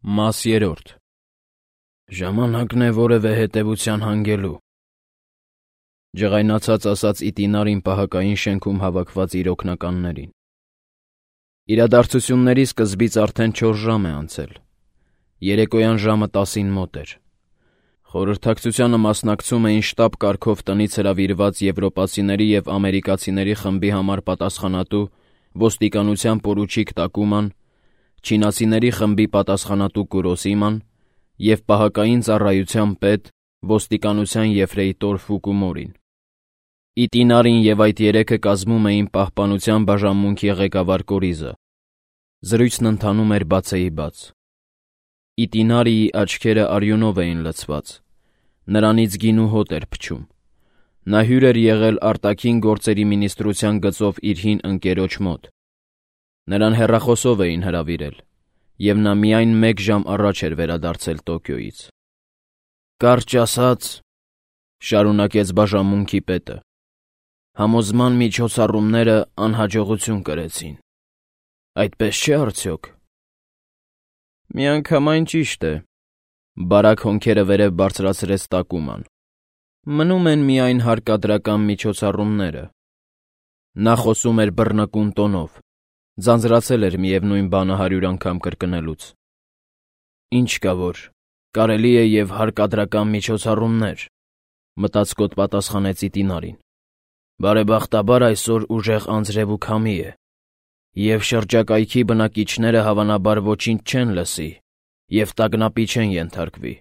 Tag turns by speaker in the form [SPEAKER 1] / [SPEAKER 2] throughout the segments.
[SPEAKER 1] Մաս 3. Ժամանակն է որևէ հետևության հանգելու, ջղայնացած ասաց Իտինարին պահակային շենքում հավաքված իր օգնականներին։ Իրադարձությունների սկզբից արդեն 4 ժամ է անցել։ Երեկոյան ժամը 10-ին մոտ էր։ Խորհրդակցությանը մասնակցում էին շտաբ կարգով տնից հրավիրված եվրոպացիների և ամերիկացիների խմբի համար պատասխանատու ոստիկանության պորուչիկ Տակուման, չինացիների խմբի պատասխանատու Կուրոսիման և պահակային ծառայության պետ ոստիկանության եֆրեյտոր Ֆուկումորին։ Իտինարին և այդ երեքը կազմում էին պահպանության բաժանմունքի ղեկավար Կորիզը։ Զրույցն ընթանում էր բացեիբաց։ Իտինարիի աչքերը արյունով էին լցված, նրանից գինու հոտ էր փչում։ Նա հյուր էր եղել արտաքին գործերի մինիստրության գծով իր հին ընկերոջ մոտ։ Նրան հեռախոսով էին հրավիրել, և նա միայն 1 ժամ առաջ էր վերադարձել Տոկիոյից։ «Կարճ ասած,» շարունակեց բաժանմունքի պետը, «համոզման միջոցառումները անհաջողություն կրեցին։ Այդպես չէ՞ արդյոք»։ «Միանգամայն ճիշտ է», բարակ հոնքերը վերև բարձրացրեց Տակուման։ «Մնում են միայն հարկադրական միջոցառումները»։ Նա խոսում էր բռնկուն տոնով, ձանձրացել էր միևնույն բանը 100 անգամ կրկնելուց։ «Ինչ կա որ, կարելի է և հարկադրական միջոցառումներ», մտածկոտ պատասխանեց Իտինարին։ «Բարեբախտաբար այսօր ուժեղ անձրև ու քամի է, և շրջակայքի բնակիչները հավանաբար ոչինչ չեն լսի և տագնապի չեն ենթարկվի։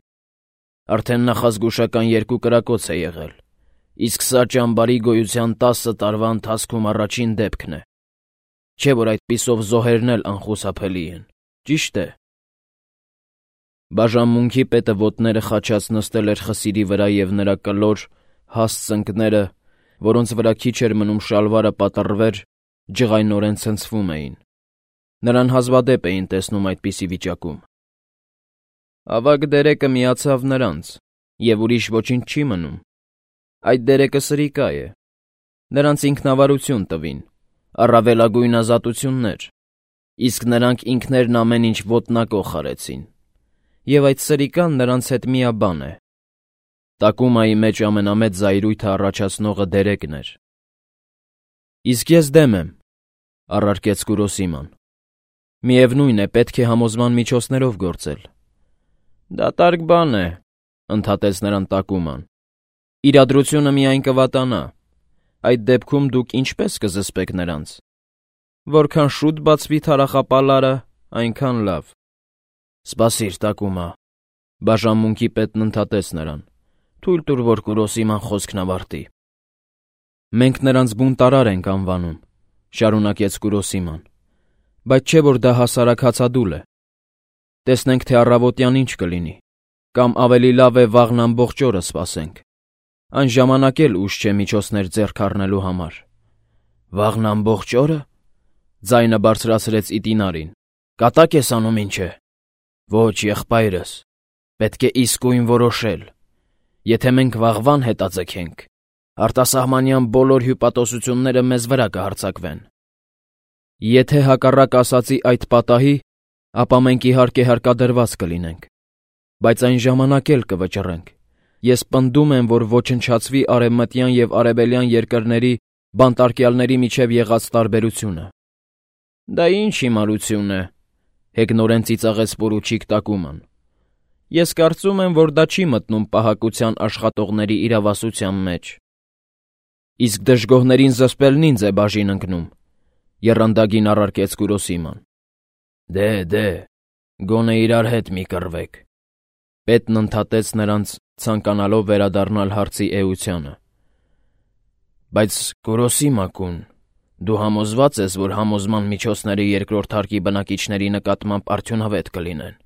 [SPEAKER 1] Արդեն նախազգուշական 2 կրակոց է եղել, իսկ սա ճամբարի գոյության 10 տարվա ընթացքում առաջին դեպքն է։ Չէ՞ որ այդպիսով զոհերն էլ անխուսափելի են, ճիշտ է»։ Բաժանմունքի պետը ոտները խաչած նստել էր խսիրի վրա և նրա կլոր, հաստ ծնկները, որոնց վրա քիչ էր մնում շալվարը պատռվեր, ջղայնորեն ցնցվում էին։ Նրան հազվադեպ էին տեսնում այդպիսի վիճակում։ Ավագ դերեկը միացավ նրանց, և ուրիշ ոչինչ չի մնում։ Այդ դերեկը սրիկա է։ Նրանց ինքնավարություն տվին, առավելագույն ազատություններ, իսկ նրանք ինքներն ամեն ինչ ոտնակոխ արեցին։ Եվ այդ սրիկան նրանց հետ միաբան է։ Տակումայի մեջ ամենամեծ զայրույթը առաջացնողը դերեկն էր։ «Իսկ ես դեմ եմ», առարկեց Կուրոսիման։ «Միևնույն է, պետք է համոզման միջոցներով գործել»։ «Դատարկ բան է», ընդհատեց նրան Տակուման։ «Իրադրությունը միայն կվատանա։ Այդ դեպքում դուք ինչպե՞ս կզսպեք նրանց։ Որքան շուտ բացվի թարախապալարը, այնքան լավ»։ «Սպասիր, Տակումա», բաժանմունքի պետն ընդհատեց նրան։ «Թույլ տուր, որ Կուրոսիման խոսքն ավարտի»։ «Մենք նրանց բունտարար ենք անվանում», շարունակեց Կուրոսիման, «բայց չէ՞ որ դա հասարակ հացադուլ է։ Տեսնենք, թե առավոտյան ինչ կլինի, կամ ավելի լավ է վաղն ամբողջ օրը սպասենք։ Այն ժամանակ էլ ուշ չէ միջոցներ ձեռք առնելու համար»։ «Վաղն ամբողջ օրը», ձայնը բարձրացրեց Իտինարին, «կատակ ես անում, ինչ է։ Ոչ, եղբայրս, պետք է իսկույն որոշել։ Եթե մենք վաղվան հետաձգենք, արտասահմանյան բոլոր հյուպատոսությունները մեզ վրա կհարձակվեն։ Եթե հակառակ ասածի այդ պատահի, ապա մենք իհարկե հարկադրված կլինենք, բայց այն ժամանակ էլ կվճռենք։ Ես պնդում եմ, որ ոչնչացվի արևմտյան և արևելյան երկրների բանտարկյալների միջև եղած տարբերությունը»։ «Դա ինչ հիմարություն է», հեգնորեն ծիծաղեց պորուչիկ Տակուման։ «Ես կարծում եմ, որ դա չի մտնում պահակության աշխատողների իրավասության մեջ»։ «Իսկ դժգոհներին զսպելն ինձ է բաժին ընկնում», եռանդագին առարկեց Կուրոսիման։ Դե, գոնե իրար հետ մի կռվեք», պետն ընդհատեց նրանց, ցանկանալով վերադառնալ հարցի էությանը։ «Բայց Կուրոսիմա-կուն, դու համոզվա՞ծ ես, որ համոզման միջոցները երկրորդ հարկի բնակիչների նկատմամբ արդյունավետ կլինեն։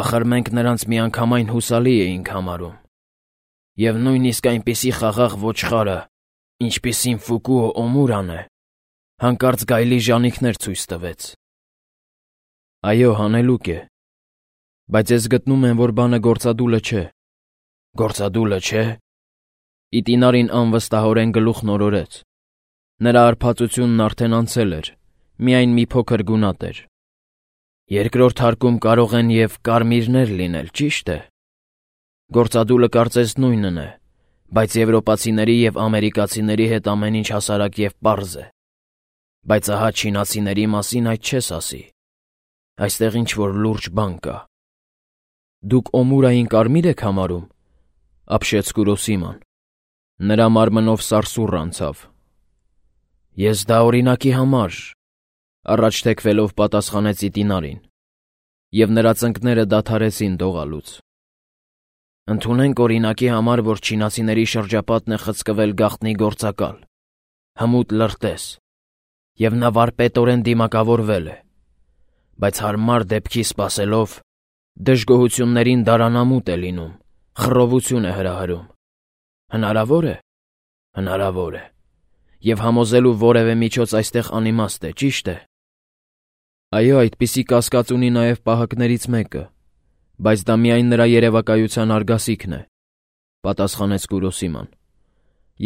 [SPEAKER 1] Ախր մենք նրանց միանգամայն հուսալի էինք համարում։ Եվ նույնիսկ այնպիսի խաղաղ ոչխարը, ինչպիսին Ֆուկուո Օմուրան է, հանկարծ գայլի ժանիքներ ցույց տվեց»։ «Այո, հանելուկ է։ Բայց ես գտնում եմ, որ բանը գործադուլը չէ»։ «Գործադուլը չէ՞։ Իտինարին անվստահորեն գլուխն օրորեց։ Նրա արբածությունն արդեն անցել էր, միայն մի փոքր գունատ էր։ Երկրորդ հարկում կարող են և կարմիրներ լինել, ճիշտ է։ Գործադուլը կարծես նույնն է, բայց եվրոպացիների և ամերիկացիների հետ ամեն ինչ հասարակ և պարզ է։ Բայց ահա չինացիների մասին այդ չես ասի։ Այստեղ ինչ-որ լուրջ բան կա։ Դուք Օմուրային կարմիր եք համարում, ապշեց Կուրոսիման։ Նրա մարմնով սարսուռ անցավ։ Ես դա օրինակի համար, առաջ թեքվելով պատասխանեց Իտինարին, և նրա ծնկները դադարեցին դողալուց։ Ընդունենք օրինակի համար, որ չինացիների շրջապատն է խցկվել գաղտնի գործակալ, հմուտ լրտես, և նա վարպետորեն դիմակավորվել է, բայց հարմար դեպքի սպասելով դժգոհություններին դարանամուտ է լինում, խռովություն է հրահրում։ Հնարավոր է։ Հնարավոր է։ Եվ համոզելու որևէ միջոց այստեղ անիմաստ է, ճիշտ է։ Այո, այդպիսի կասկած ունի նաև պահակներից մեկը, բայց դա միայն նրա երևակայության արգասիքն է, պատասխանեց Կուրոսիման։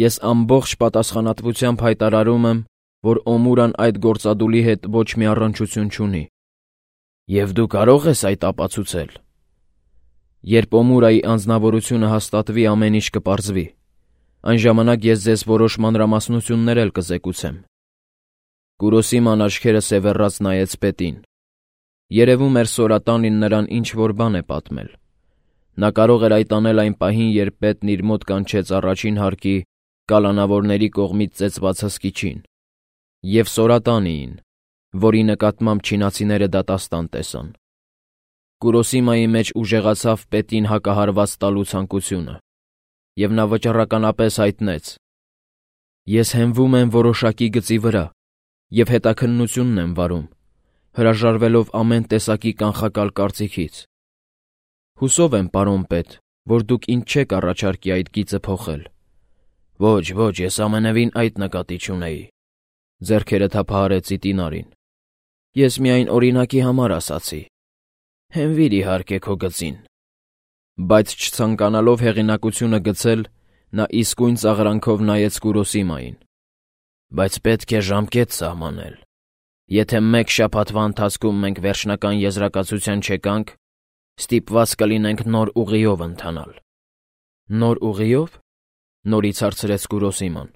[SPEAKER 1] Ես ամբողջ պատասխանատվությամբ հայտարարում եմ, որ Օմուրան այդ գործադուլի հետ ոչ մի առնչություն չունի։ Եվ դու կարող ես այդ ապացուցել։ Երբ Օմուրայի անձնավորությունը հաստատվի, ամեն ինչ կպարզվի։ Այն ժամանակ ես ձեզ որոշ մանրամասնություններ էլ կզեկուցեմ։ Կուրոսիման աչքերը սևեռած նայեց պետին։ Երևում էր Սորատանին նրան ինչ-որ բան է պատմել։ Նա կարող էր այդ անել այն պահին, երբ պետն իր մոտ կանչեց առաջին հարկի կալանավորների կողմից ծեծված հսկիչին և Սորատանիին, որի նկատմամբ չինացիները դատաստան տեսան։ Կուրոսիմայի մեջ ուժեղացավ պետին հակահարված տալու ցանկությունը, և նա վճռականապես հայտնեց. «Ես հենվում եմ որոշակի գծի վրա և հետաքննությունն եմ վարում, հրաժարվելով ամեն տեսակի կանխակալ կարծիքից։ Հուսով եմ, պարոն պետ, որ դուք ինձ չեք առաջարկի այդ գիծը փոխել»։ Ոչ, ես ամենևին այդ նկատի չունեի, ձեռքերը թափահարեց Իտինարին։ Ես միայն օրինակի համար ասացի։ Հենվիր իհարկե քո գծին։ Բայց չցանկանալով հեղինակությունը գցել, նա իսկույն ծաղրանքով նայեց Կուրոսիմային։ Բայց պետք է ժամկետ սահմանել։ Եթե մեկ շաբաթվա ընթացքում մենք վերջնական եզրակացության չեկանք, ստիպված կլինենք նոր ուղիով ընթանալ։ Նոր ուղիով, նորից հարցրեց Կուրոսիման։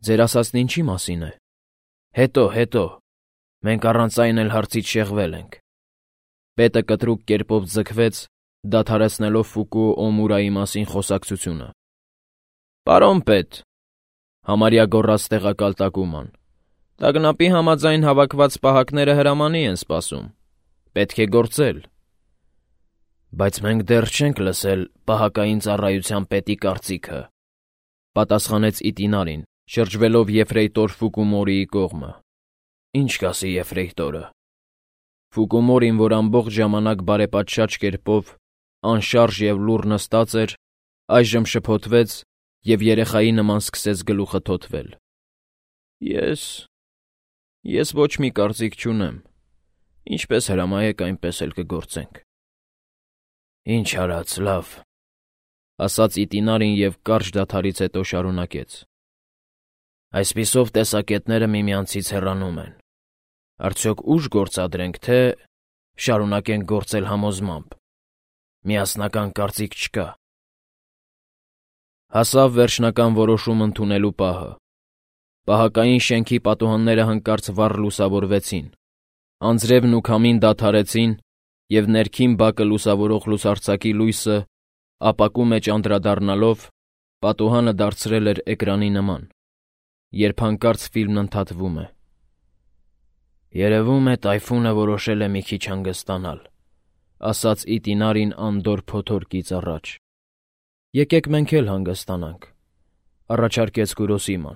[SPEAKER 1] Ձեր ասածն ինչի մասին է։ Հետո, մենք առանց այն էլ հարցից շեղվել ենք։ Պետը կտրուկ կերպով ձգվեց, դադարեցնելով Ֆուկուո Օմուրայի մասին խոսակցությունը։ Պարոն պետ, համարյա գոռաց տեղակալ Տակուման, տագնապի համաձայն հավաքված պահակները հրամանի են սպասում։ Պետք է գործել։ Բայց մենք դեռ չենք լսել պահակային ծառայության պետի կարծիքը, պատասխանեց Իտինարին, շրջվելով եֆրեյտոր Ֆուկումորիի կողմը։ Ինչ կասի եֆրեյտորը։ Ֆուկումորին, որ ամբողջ ժամանակ բարեպատշաճ կերպով, անշարժ և լուռ նստած էր, այժմ շփոթվեց և երեխայի նման սկսեց գլուխը թոթվել։ Ես ոչ մի կարծիք չունեմ։ Ինչպես հրամայեք, այնպես էլ կգործենք։ Ինչ արած, լավ, ասաց Իտինարին և կարճ դադարից հետո շարունակեց։ Այսպիսով տեսակետները միմյանցից հեռանում են։ Արդյոք ուժ գործադրենք, թե շարունակենք գործել համոզմամբ։ Միասնական կարծիք չկա։ Հասավ վերջնական որոշում ընդունելու պահը։ Պահակային շենքի պատուհանները հանկարծ վառ լուսավորվեցին։ Անձրևն ու քամին դադարեցին, և ներքին բակը լուսավորող լուսարձակի լույսը, ապակու մեջ անդրադառնալով, պատուհանը դարձրել էր էկրանի նման, երբ հանկարծ ֆիլմն ընդհատվում է։ Երևում է տայֆունը որոշել է մի քիչ հանգստանալ, ասաց Իտինարին անդորր փոթորկից առաջ։ Եկեք մենք էլ հանգստանանք, առաջարկեց Կուրոսիման։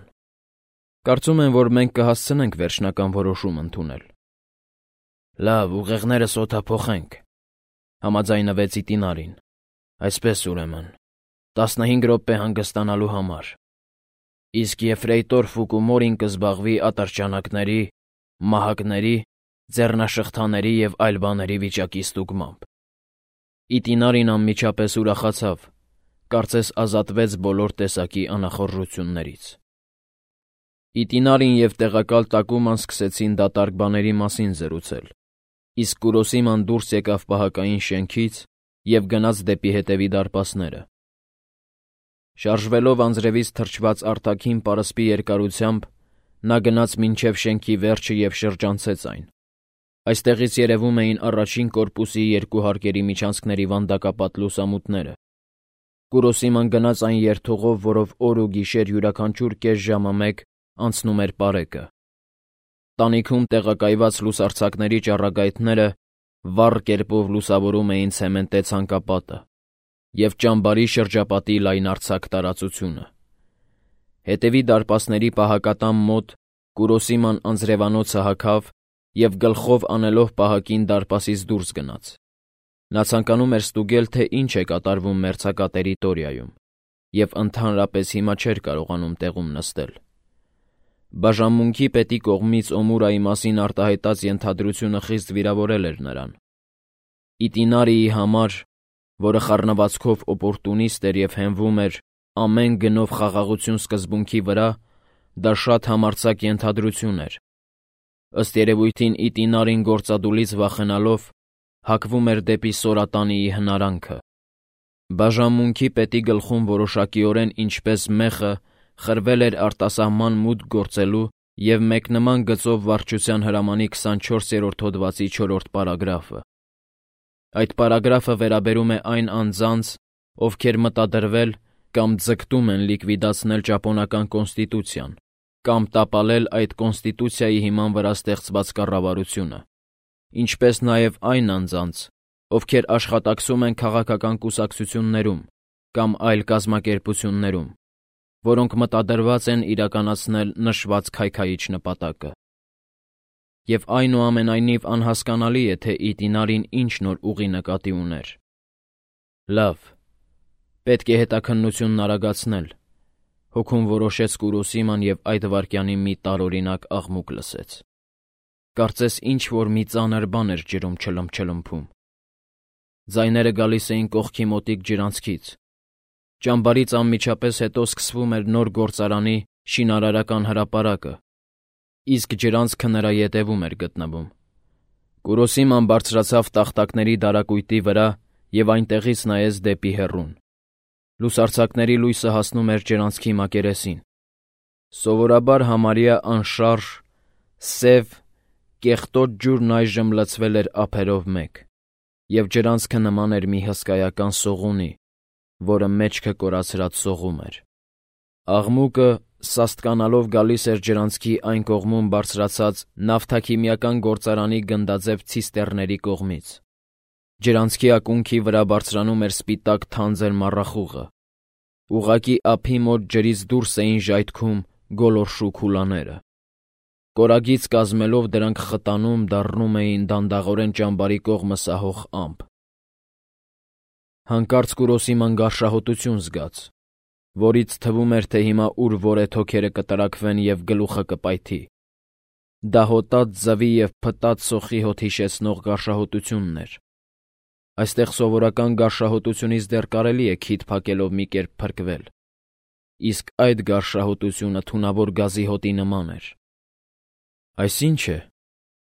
[SPEAKER 1] Կարծում եմ, որ մենք կհասցնենք վերջնական որոշում ընդունել։ Լավ, ուղեղներս օդափոխենք, համաձայնվեց Իտինարին։ Այսպես ուրեմն, 15 րոպե հանգստանալու համար։ Իսկ եֆրեյտոր Ֆուկումորին կզբաղվի ատրճանակների, մահակների, ձեռնաշղթաների և այլ բաների վիճակի ստուգմամբ։ Իտինարին անմիջապես ուրախացավ, կարծես ազատվեց բոլոր տեսակի անախորժություններից։ Իտինարին և տեղակալ Տակուման սկսեցին դատարկ բաների մասին զրուցել։ Իսկ Կուրոսիման դուրս եկավ պահակային շենքից և գնաց դեպի հետևի դարպասները։ Շարժվելով անձրևից թրջված արտաքին պարսպի երկարությամբ, նա գնաց մինչև շենքի վերջը և շրջանցեց այն։ Այստեղից երևում էին առաջին կորպուսի երկու հարկերի միջանցքների վանդակապատ լուսամուտները։ Կուրոսիման գնաց այն երթուղով, որով օր ու գիշեր յուրաքանչյուր կես ժամը մեկ անցնում էր պարեկը։ Տանիքում տեղակայված լուսարձակների ճառագայթները վառ կերպով լուսավորում էին ցեմենտե ցանկապատը և ճամբարի շրջապատի լայնարձակ տարածությունը։ Հետևի դարպասների պահակատան մոտ Կուրոսիման անձրևանոցը հագավ և գլխով անելով պահակին դարպասից դուրս գնաց։ Նա ցանկանում էր ստուգել, թե ինչ է կատարվում մերձակա տերիտորիայում, և ընդհանրապես հիմա չէր կարողանում տեղում նստել։ Բաժանմունքի պետի կողմից Օմուրայի մասին արտահայտած ենթադրությունը խիստ վիրավորել էր նրան։ Իտինարիի համար, որը խառնվածքով օպորտունիստ էր և հենվում էր ամեն գնով խաղաղություն սկզբունքի վրա, դա շատ համարձակ ենթադրություն էր։ Ըստ երևույթին Իտինարին գործադուլից վախենալով հակվում էր դեպի Սորատանիի հնարանքը։ Բաժանմունքի պետի գլխում որոշակիորեն ինչպես մեղը խրվել էր արտասահման մուտք գործելու և մեկնման գծով վարչության հրամանի 24-րդ հոդվածի 4-րդ պարագրաֆը։ Այդ պարագրաֆը վերաբերում է այն անձանց, ովքեր մտադրվել կամ ձգտում են լիկվիդացնել ճապոնական կոնստիտուցիան կամ տապալել այդ կոնստիտուցիայի հիման վրա ստեղծված կառավարությունը, ինչպես նաև այն անձանց, ովքեր աշխատակցում են քաղաքական կուսակցություններում կամ այլ կազմակերպություններում, որոնք մտադրված են իրականացնել նշված քայքայիչ նպատակը։ Եվ այնուամենայնիվ անհասկանալի է, թե Իտինարին ինչ նոր ուղի նկատի ուներ։ Լավ, պետք է հետաքննությունն արագացնել։ Հոգում որոշեց Կուրոսիման և այդ վայրկյանին մի տարօրինակ աղմուկ լսեց։ Կարծես ինչ-որ մի ծանր բան էր ջրում չլմփչլմփում։ Ձայները գալիս էին կողքի մոտիկ ջրանցքից։ Ճամբարից անմիջապես հետո սկսվում էր նոր գործարանի շինարարական հրապարակը, իսկ ջրանցքը նրա ետևում էր գտնվում։ Կուրոսիման բարձրացավ տախտակների դարակույտի վրա և այնտեղից նայեց դեպի հեռուն։ Լուսարձակների լույսը հասնում էր ջրանցքի մակերեսին։ Սովորաբար համարյա անշարժ, սև, կեղտոտ ջուրն այժմ լցվել էր ափերով մեկ, և ջրանցքը նման էր մի հսկայական սողունի, որը մեջքը կորացրած սողում էր։ Աղմուկը սաստկանալով գալիս էր ջրանցքի այն կողմում բարձրացած նավթաքիմիական գործարանի գնդաձև ցիստեռների կողմից։ Ջրանցքի ակունքի վրա բարձրանում էր սպիտակ թանձր մառախուղը։ Ուղղակի ափի մոտ ջրից դուրս էին ժայթքում գոլորշու քուլաները։ Կորագից կազմելով դրանք խտանում դառնում էին դանդաղորեն ճամբարի կողմը սահող ամպ։ Հանկարծ Կուրոսիման գարշահոտություն զգաց, որից թվում էր, թե հիմա ուր-որ է թոքերը կտրաքվեն և գլուխը կպայթի։ Դա հոտած ձվի և փտած սոխի հոտ հիշեցնող գարշահոտությունն էր։ Այստեղ սովորական գարշահոտությունից դեռ կարելի է քիթ փակելով մի կերպ փրկվել, իսկ այդ գարշահոտությունը թունավոր գազի հոտի նման էր։ «Այս ի՞նչ է,»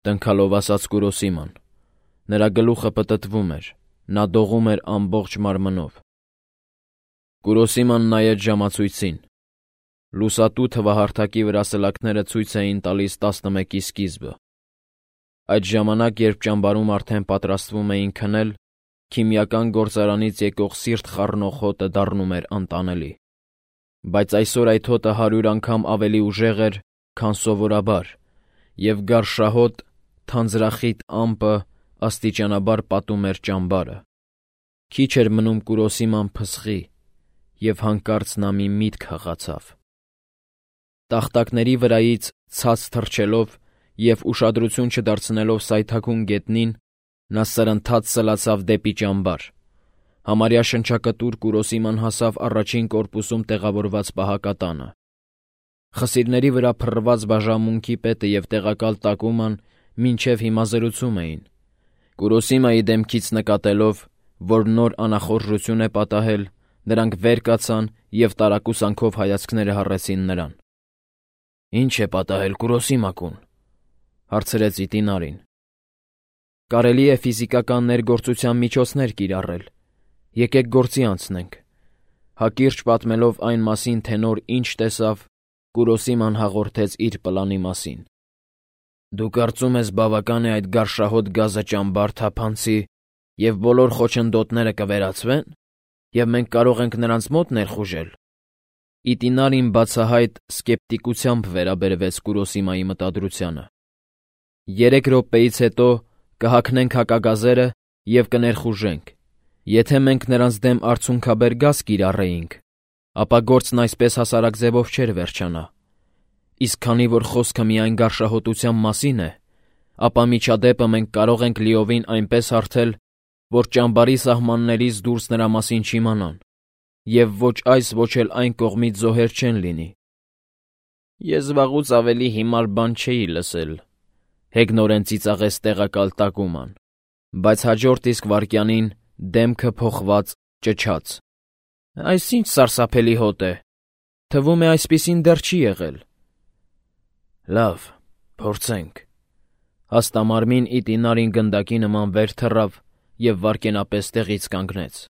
[SPEAKER 1] տնքալով ասաց Կուրոսիման։ Նրա գլուխը պտտվում էր, նա դողում էր ամբողջ մարմնով։ Կուրոսիման նայեց ժամացույցին։ Լուսատու թվահարթակի վրա սլաքները ցույց էին տալիս 11-ի սկիզբը։ Այդ ժամանակ, երբ ճամբարում արդեն պատրաստվում էին քնել, քիմիական գործարանից եկող սիրտ խառնող հոտը դառնում էր անտանելի։ Բայց այսօր այդ հոտը 100 անգամ ավելի ուժեղ էր, քան սովորաբար, և գարշահոտ, թանձրախիտ ամպը աստիճանաբար պատում էր ճամբարը։ Քիչ էր մնում Կուրոսիման փսխի, և հանկարծ նա մի միտք հղացավ։ Տախտակների վրայից ցած թռչելով և ուշադրություն չդարձնելով սայթաքուն գետնին, նա սրընթաց սլացավ դեպի ճամբար։ Համարյա շնչակտուր Կուրոսիման հասավ առաջին կորպուսում տեղավորված պահակատանը։ Խսիրների վրա փռված բաժանմունքի պետը և տեղակալ տակուման մինչև հիմա զրուցում էին։ Կուրոսիմայի դեմքից նկատելով, որ նոր անախորժություն է պատահել, նրանք վեր կացան և տարակուսանքով հայացքները հառեցին նրան։ «Ի՞նչ է պատահել, Կուրոսիմա֊կուն,» հարցրեց Իտինարին։ Կարելի է ֆիզիկական ներգործության միջոցներ կիրառել։ Եկեք գործի անցնենք։ Հակիրճ պատմելով այն մասին, թե նոր ինչ տեսավ, Կուրոսիման հաղորդեց իր պլանի մասին։ Դու կարծում ես բավական է այդ գարշահոտ գազը ճամբար թափանցի և բոլոր խոչընդոտները կվերացվեն, և մենք կարող ենք նրանց մոտ ներխուժել։ Իտինարին բացահայտ սկեպտիկությամբ վերաբերվեց Կուրոսիմայի մտադրությանը։ 3 րոպեից հետո կհագնենք հակագազերը և կներխուժենք։ Եթե մենք նրանց դեմ արցունքաբեր գազ կիրառեինք, ապա գործն այսպես հասարակ ձևով չէր վերջանա։ Իսկ քանի որ խոսքը միայն գարշահոտության մասին է, ապա միջադեպը մենք կարող ենք լիովին այնպես հարթել, որ ճամբարի սահմաններից դուրս նրա մասին չիմանան, և ոչ այս, ոչ էլ այն կողմից զոհեր չեն լինի։ Ես վաղուց ավելի հիմար բան չէի լսել, հեգնորեն ծիծաղեց տեղակալ Տակուման, բայց հաջորդ իսկ վայրկյանին դեմքը փոխված ճչաց. Այս ինչ սարսափելի հոտ է, թվում է այսպիսին դեռ չի եղել։ Լավ, փորձենք։ Հաստամարմին Իտինարին գնդակի նման վեր թռավ և վայրկենապես տեղից կանգնեց։